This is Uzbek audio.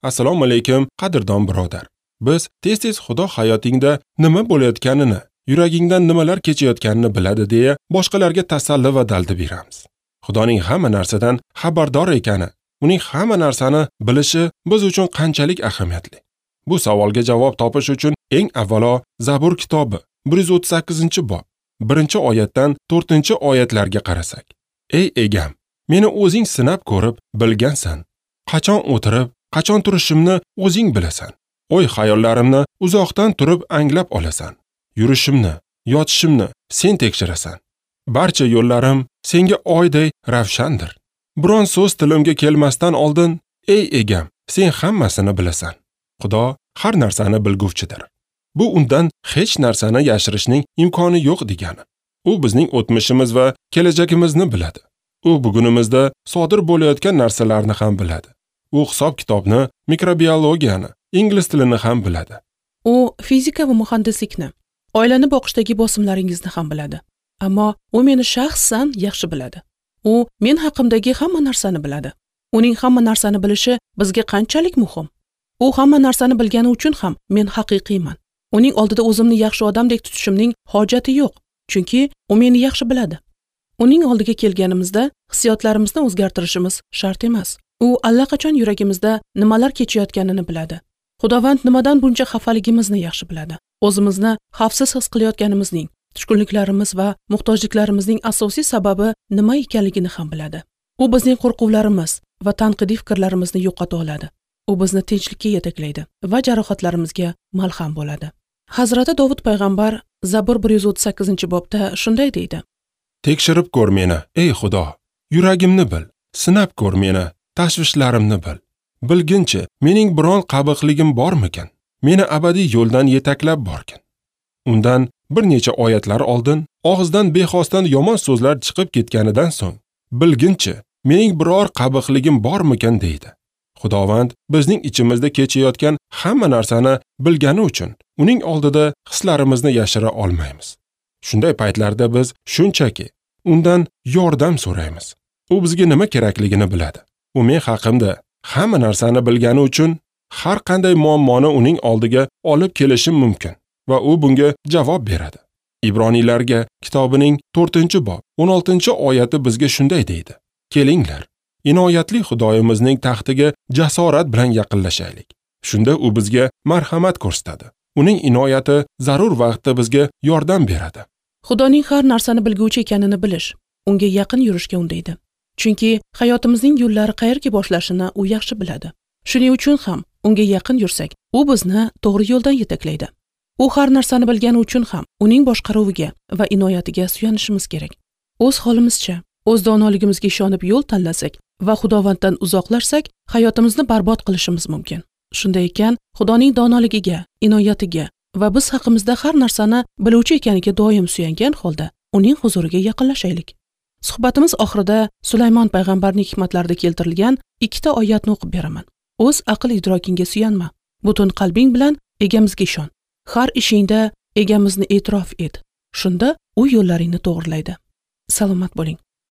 Assalomu alaykum, qadrdon birodar. Biz tez-tez Xudo hayotingda nima bo'layotganini, yuragingdan nimalar kechayotganini biladi deya boshqalarga tasalli va dalda beramiz. Xudoning hamma narsadan xabardor ekani, uning hamma narsani bilishi biz uchun qanchalik ahamiyatli? Bu savolga javob topish uchun eng avvalo Zabur kitobi 138-bob 1-oyatdan 4-oyatlarga qarasak. Ey egam, meni o'zing sinab ko'rib bilgansan. Qachon o'tirib, qachon turishimni o'zing bilasan. O'y xayollarimni uzoqdan turib anglab olasan. Yurishimni, yotishimni sen tekshirasan. Barcha yo'llarim senga oyday ravshandir. Biron so'z tilimga kelmasdan oldin, ey egam, sen hammasini bilasan. Xudo har narsani bilguvchidir. Bu undan hech narsani yashirishning imkoni yo'q degani. U bizning o'tmishimiz va kelajagimizni biladi. U bugunimizda sodir bo'layotgan narsalarni ham biladi. U hisob-kitobni, mikrobiologiyani, ingliz tilini ham biladi. U fizika va muhandislikni, oilani boqishdagi bosimlaringizni ham biladi. Ammo u meni shaxsan yaxshi biladi. U men haqimdagi hamma narsani biladi. Uning hamma narsani bilishi bizga qanchalik muhim? U hamma narsani bilgani uchun ham men haqiqiyman. Uning oldida o'zimni yaxshi odamdek tutishimning hojati yo'q, chunki u meni yaxshi biladi. Uning oldiga kelganimizda hissiyotlarimizni o'zgartirishimiz shart emas. U allaqachon yuragimizda nimalar kechayotganini biladi. Xudovand nimadan buncha xafaligimizni yaxshi biladi. O'zimizni xavfsiz his qilayotganimizning, tushkunliklarimiz va muhtojliklarimizning asosiy sababi nima ekanligini ham biladi. U bizning qo'rquvlarimiz va tanqidiy fikrlarimizni yo'qota oladi. U bizni tinchlikka yetaklaydi va jarohatlarimizga malham bo'ladi. Hazrati Dovud payg'ambar Zabur 138-bobda shunday deydi: Tekshirib ko'r meni, ey Xudo, yuragimni bil, sinab ko'r meni, tashvishlarimni bil. Bilginchi, mening biron qabiqligim bormikan? Meni abadiy yo'ldan yetaklab borgin. Undan bir necha oyatlar oldin og'izdan bexosdan yomon so'zlar chiqib ketganidan so'ng, bilginchi, mening biror qabiqligim bormikan deydi. Xudovand bizning ichimizda kechayotgan hamma narsani bilgani uchun uning oldida hislarimizni yashira olmaymiz. Shunday paytlarda biz shunchaki undan yordam so'raymiz. U bizga nima kerakligini biladi. U men haqimda hamma narsani bilgani uchun har qanday muammoni uning oldiga olib kelishim mumkin va u bunga javob beradi. Ibroniylarga kitobining 4-bob 16-oyati bizga shunday deydi: Kelinglar, inoyatli Xudoyimizning taxtiga jasorat bilan yaqinlashaylik. Shunda u bizga marhamat ko'rsatadi. Uning inoyati zarur vaqtda bizga yordam beradi. Xudoning har narsani bilguvchi ekanini bilish unga yaqin yurishga undaydi. Chunki hayotimizning yo'llari qayerga boshlashini u yaxshi biladi. Shuning uchun ham unga yaqin yursak, u bizni to'g'ri yo'ldan yetaklaydi. U har narsani bilgani uchun ham uning boshqaruviga va inoyatiga suyanishimiz kerak. O'z holimizcha, o'z donoligimizga ishonib yo'l tanlasak va Xudovanddan uzoqlashsak, hayotimizni barbod qilishimiz mumkin. Shunday ekan, Xudoning donoligiga, inoyatiga va biz haqimizda har narsani biluvchi ekaniga doim suyangan holda uning huzuriga yaqinlashaylik. Suhbatimiz oxirida Sulaymon payg'ambarning hikmatlarida keltirilgan ikkita oyatni o'qib beraman. O'z aql idrokingga suyanma. Butun qalbing bilan egamizga ishon. Har ishingda egamizni e'tirof et. Shunda u yo'llaringni to'g'rilaydi. Salomat bo'ling.